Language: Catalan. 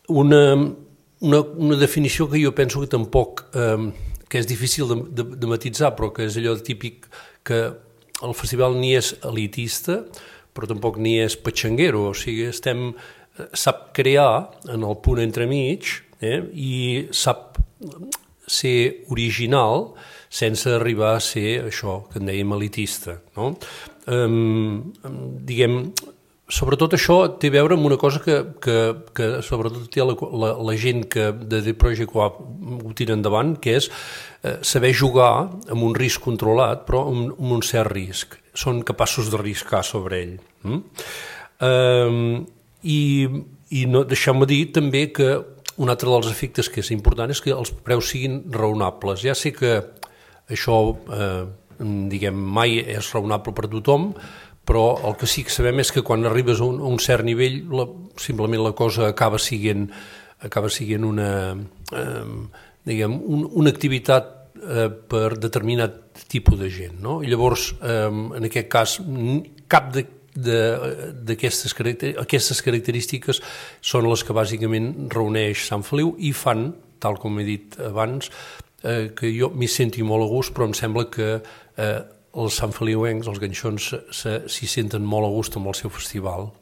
una definició que jo penso que tampoc, que és difícil de matisar, però que és allò típic que el festival ni és elitista, però tampoc ni és patxanguero, o sigui, sap crear en el punt entremig i sap ser original sense arribar a ser això que en dèiem elitista, no? Diguem, sobretot això té a veure amb una cosa que sobretot té la gent que de The Project ho tira endavant, que és saber jugar amb un risc controlat, però amb un cert risc. Són capaços d'arriscar sobre ell. I deixeu-me dir també que un altre dels efectes que és important és que els preus siguin raonables. Ja sé que això, diguem, mai és raonable per tothom, però el que sí que sabem és que quan arribes a un cert nivell simplement la cosa acaba sent una activitat per determinat tipus de gent, no? I llavors, en aquest cas, cap d'aquestes característiques són les que bàsicament reuneix Sant Feliu i fan, tal com he dit abans, que jo m'hi senti molt a gust, però em sembla que els santfeliuencs, els ganxons, s'hi senten molt a gust amb el seu festival.